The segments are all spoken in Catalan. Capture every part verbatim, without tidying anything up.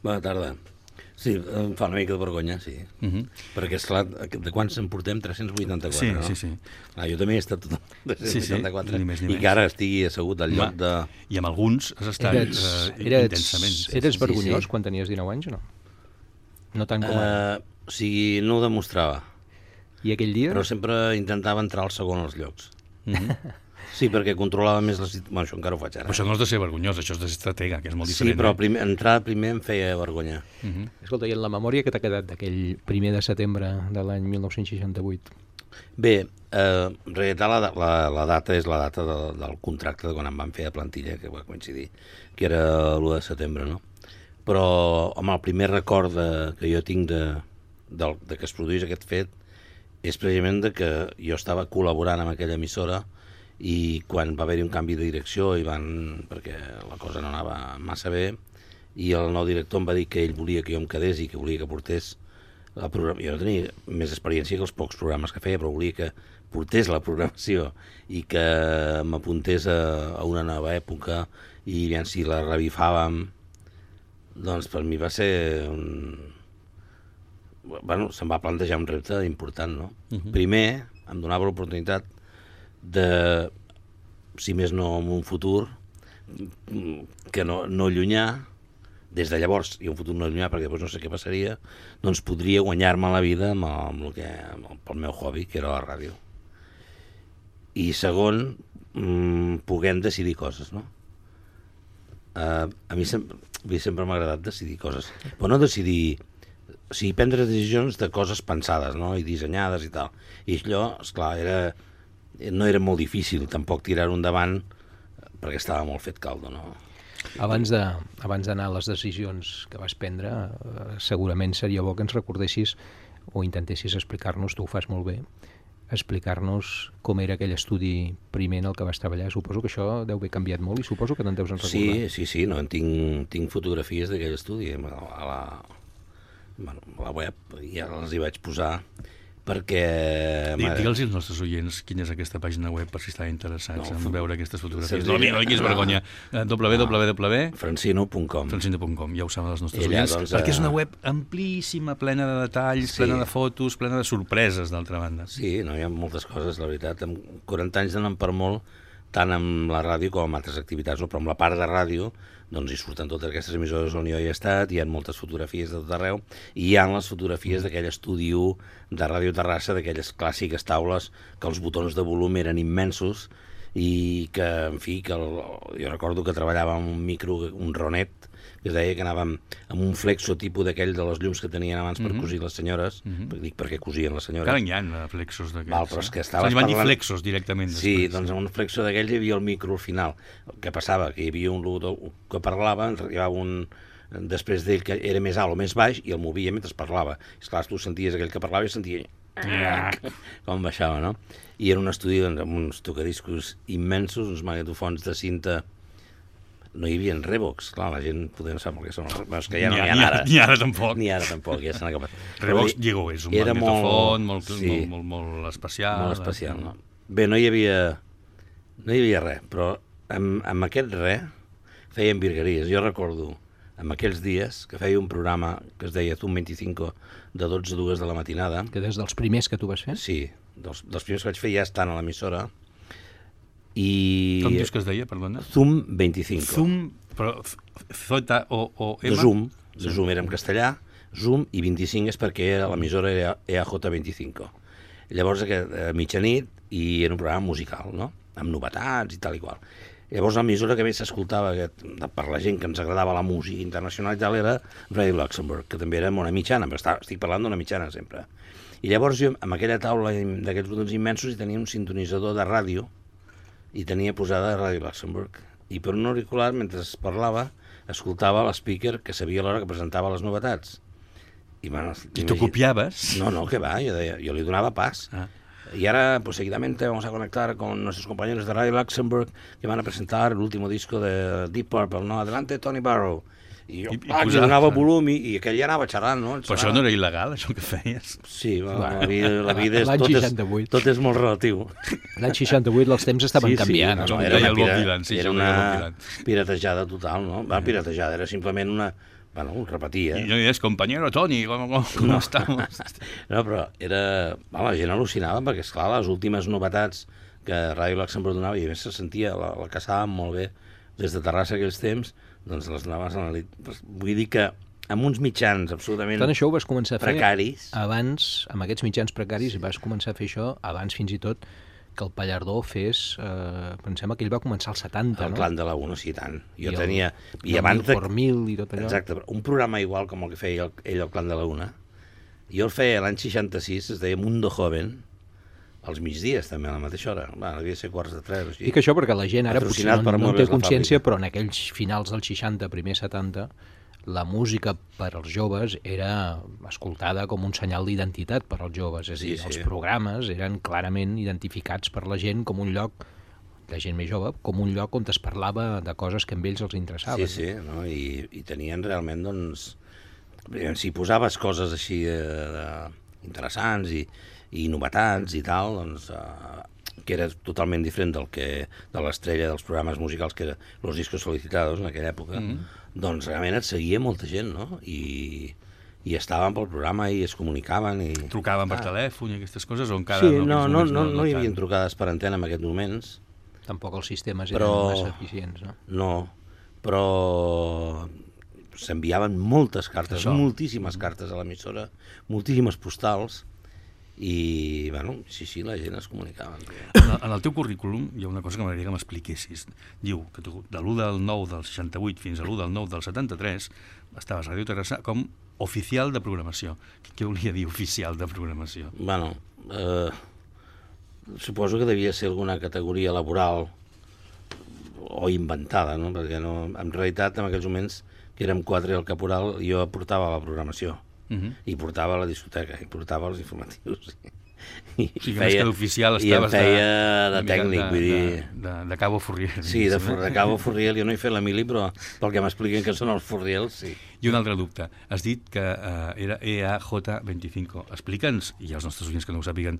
Bona tarda. Sí, em fa una mica de vergonya, sí. Uh -huh. Perquè, esclar, de quants en portem? tres-cents vuitanta-quatre, sí, no? Sí, sí, ah, jo també he estat tot tres-cents vuitanta-quatre, sí, sí, ni més, ni i més. que ara estigui assegut al lloc de... I amb alguns has estat eres, uh, eres, intensament. Sí, eres sí, vergonyós sí. quan tenies dinou anys o no? No tant com ara. Uh, o sigui, no ho demostrava. I aquell dia? Però sempre intentava entrar al segon als llocs. Uh -huh. Sí, perquè controlava més la situació. Bueno, això encara ho faig ara. Però això no és de ser vergonyós, això és de ser estratega, que és molt Sí, diferent. però eh? primer, entrar primer em feia vergonya. Uh -huh. Escolta, i en la memòria que t'ha quedat d'aquell primer de setembre de l'any mil nou-cents seixanta-vuit? Bé, eh, en realitat la, la, la data és la data de, del contracte de quan em van fer a plantilla, que va coincidir, que era l'u de setembre, no? Però, home, el primer record de, que jo tinc de, de, de que es produís aquest fet és precisament de que jo estava col·laborant amb aquella emissora i quan va haver-hi un canvi de direcció i van, perquè la cosa no anava massa bé, i el nou director em va dir que ell volia que jo em quedés i que volia que portés la programació. Jo no tenia més experiència que els pocs programes que feia, però volia que portés la programació i que m'apuntés a, a una nova època, i aviam si la revifàvem, doncs per mi va ser un... Bueno, se'm va plantejar un repte important, no? Uh-huh. Primer, em donava l'oportunitat de, si més no en un futur, que no, no llunyà, des de llavors, i un futur no llunyà, perquè després no sé què passaria, doncs podria guanyar-me la vida amb el, amb el que, amb el, pel meu hobby, que era la ràdio. I segon, mmm, puguem decidir coses, no? Uh, a mi sempre, sempre m'ha agradat decidir coses, però no decidir... O sigui, prendre decisions de coses pensades, no?, i dissenyades i tal. I allò, esclar, era, no era molt difícil tampoc tirar-ho endavant perquè estava molt fet caldo, no? Abans de, abans d'anar a les decisions que vas prendre, eh, segurament seria bo que ens recordessis o intentessis explicar-nos, tu ho fas molt bé, explicar-nos com era aquell estudi primer en el que vas treballar. Suposo que això deu haver canviat molt i suposo que te'n deus en recordar. Sí, sí, sí, no, tinc, tinc fotografies d'aquell estudi a la... Bueno, a la web, ja les hi vaig posar perquè... Digue'ls als nostres oients quina és aquesta pàgina web per si estan interessats no, en veure aquestes fotografies. No, no tinguis vergonya. w w w punt francino punt com francino punt com, ja ho saben els nostres Ella, oients, doncs, perquè és una web amplíssima, plena de detalls, sí. plena de fotos, plena de sorpreses, d'altra banda. Sí, no, hi ha moltes coses, la veritat. Amb quaranta anys d'anar per molt, tant amb la ràdio com amb altres activitats, no? Però amb la part de ràdio doncs hi surten totes aquestes emissores on jo hi he estat, hi ha moltes fotografies de tot arreu, i hi ha les fotografies d'aquell estudi u de Ràdio Terrassa, d'aquelles clàssiques taules que els botons de volum eren immensos i que, en fi, que el, jo recordo que treballava amb un micro, un Ronet, que es deia que anàvem amb un flexo tipus d'aquell de les llums que tenien abans per mm -hmm. cosir les senyores, mm -hmm. dic perquè cosien les senyores. Encara hi ha flexos d'aquells. Val, però és que estaves se'ls van dir parlant... flexos directament. Sí, després. doncs en un flexo d'aquells hi havia el micro al final. Què passava? Que hi havia un locutor que parlava, ens arribava un després d'ell que era més alt o més baix i el movia mentre parlava. I esclar, tu senties aquell que parlava i sentia com baixava, no? I era un estudi doncs, amb uns tocadiscos immensos, uns magnetofons de cinta. No hi havia Revox, clar, la gent podem saber què són els Revox, que ja no n'hi ha ara. Ni ara tampoc. Ni ara tampoc, ja s'han acabat. Revox, digo, és un magnetofon molt, molt, sí, molt, molt, molt especial. Molt especial, no? Bé, no hi havia, no hi havia res, però amb, amb aquest res feien virgueries. Jo recordo, en aquells dies, que feia un programa que es deia Zoom vint-i-cinc de dotze a dues de la matinada. Que des dels primers que tu vas fer? Sí, dels, dels primers que vaig fer ja estan a l'emissora. I... Com dius que es deia, perdona? Zoom vint-i-cinc. Zoom, però Z o, o M? De Zoom, de Zoom era en castellà, Zoom, i vint-i-cinc és perquè era l'emissora era E A J vint-i-cinc. Llavors, a mitjanit, i era un programa musical, no?, amb novetats i tal i qual. Llavors l'emissora que més s'escoltava per la gent que ens agradava la música internacional i tal era Ràdio Luxemburg, que també era una mitjana, però estic parlant d'una mitjana sempre. I llavors jo, amb aquella taula d'aquests botons immensos, hi tenia un sintonitzador de ràdio i tenia posada Ràdio Luxemburg. I per un auricular, mentre es parlava, escoltava l'speaker que sabia l'hora que presentava les novetats. I, bueno, I tu copiaves? No, no, que va, jo, deia, jo li donava pas. Ah. Y ahora, pues seguidamente vamos a conectar con nuestros compañeros de Radio Luxemburg que van a presentar el último disco de Deep Purple, ¿no? Adelante, Tony Barrow. I jo, I, ah, i donava volum i, i aquell ja anava xerrant, no? Però això no era il·legal, això que feies? Sí, bueno, la vida, la vida és, tot, és, tot és molt relatiu. L'any seixanta-vuit els temps estaven sí, sí, canviant. No, no, era, una, pira, sí, era una piratejada total, no? Va, piratejada, era simplement una... bueno, ho repetia. I no és, compañero Toni, com, com, com no. estamos? No, però era... Bueno, la gent al·lucinava perquè, esclar, les últimes novetats que Ràdio Luxemburg donava, i a més se sentia, la, la caçàvem molt bé des de Terrassa aquells temps, doncs les anaves analitzant. Vull dir que amb uns mitjans absolutament Tant això ho vas començar a fer precaris. abans, amb aquests mitjans precaris, vas començar a fer això abans fins i tot que el Pallardó fes, eh, pensem que ell va començar als setanta, El no? clan de la una, sí, tant. Jo I el- tenia... I abans de... per mil i tot allò. Exacte, però un programa igual com el que feia el, ell al clan de la una, jo el feia l'any seixanta-sis, es deia Mundo Joven, als migdies també, a la mateixa hora. Va, devia ser quarts de tres o així. Dic això perquè la gent ara potser Patrocinat no, per no en té Mobles La consciència, Fàbrica. però en aquells finals dels seixanta, primer setanta, la música per als joves era escoltada com un senyal d'identitat per als joves. És a Sí, dir, sí. els programes eren clarament identificats per la gent com un lloc, la gent més jove, com un lloc on es parlava de coses que a ells els interessaven. Sí, sí, no? I, i tenien realment, doncs... Si posaves coses així de, de, interessants i, i novetats i tal, doncs... Eh, que era totalment diferent del que de l'estrella dels programes musicals que era Los Discos Solicitados en aquella època, mm -hmm. doncs realment et seguia molta gent, no? I, i estaven pel programa i es comunicaven i... Trucaven per ah. telèfon i aquestes coses, o encara... Sí, no, no, no, no, no, no hi tant? havia trucades per antena en aquests moments, Tampoc els sistemes Però- eren massa eficients, no? no, però s'enviaven moltes cartes, Això. moltíssimes cartes a l'emissora, moltíssimes postals, i, bueno, sí, sí, la gent es comunicava. En el, en el teu currículum hi ha una cosa que m'agradaria que m'expliquessis. Diu que tu, de l'u del nou del seixanta-vuit fins a l'u del nou del setanta-tres estaves a Ràdio Terrassa com oficial de programació. Què volia dir oficial de programació? Bueno, eh, suposo que devia ser alguna categoria laboral o inventada, no? Perquè no, en realitat, en aquells moments, que érem quatre i el caporal, jo portava la programació. Uh -huh. I portava la discoteca, i portava els informatius. I, O sigui, que més que d'oficial I em estaves feia de, de mica tècnic, de, vull dir... De, de, de Cabo Furriel. Sí, de, de Cabo Furriel, jo no he fet la mili, però pel que m'expliquen que són els Furriels, sí. I un altre dubte. Has dit que uh, era E A J veinticinco. Explica'ns, i als nostres oients que no ho sàpiguen,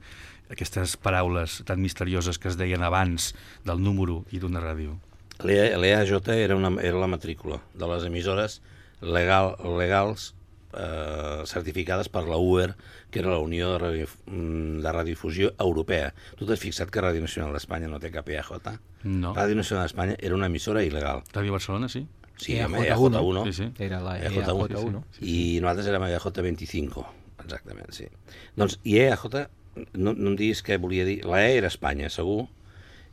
aquestes paraules tan misterioses que es deien abans del número i d'una ràdio. L'E A J era, una, era la matrícula de les emissores legal, legals eh, certificades per la U E R, que era la Unió de, Radio, de Radiodifusió Europea. Tu t'has fixat que Ràdio Nacional d'Espanya no té cap E A J? No. Ràdio Nacional d'Espanya era una emissora il·legal. Ràdio Barcelona, sí? Sí, E A J E A J uno. uno. Sí, sí. Era la E E A J A uno, J uno. sí, I nosaltres érem E A J veinticinco, exactament, sí. Doncs, i E A J, no, no em diguis què volia dir, la E era Espanya, segur,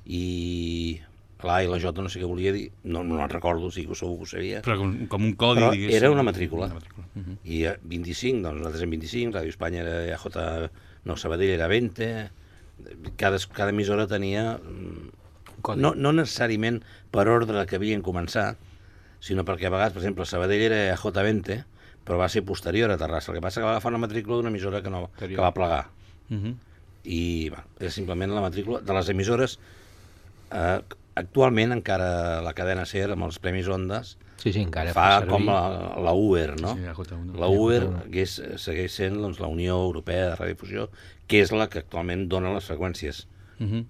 i la A i la J no sé què volia dir, no, no el recordo, sí que segur que ho sabia, Però com, com un codi, però diguéssim. era una matrícula. Una matrícula. Uh -huh. I eh, vint-i-cinc, doncs nosaltres érem vint-i-cinc, Ràdio Espanya era E A J, no, Sabadell era vint, cada, cada emissora tenia, Codi. no, no necessàriament per ordre que havien començat, sinó perquè a vegades, per exemple, Sabadell era E A J vint, però va ser posterior a Terrassa, el que passa que va agafar una matrícula d'una emissora que, no, que va plegar. Uh -huh. I bueno, era simplement la matrícula de les emissores. Eh, actualment encara la cadena SER amb els Premis Ondas Sí, sí, encara fa servir. com la, la U E R, no? Sí, E A J uno. La U E R que és, segueix sent doncs, la Unió Europea de Radiodifusió, que és la que actualment dona les freqüències. Uh -huh.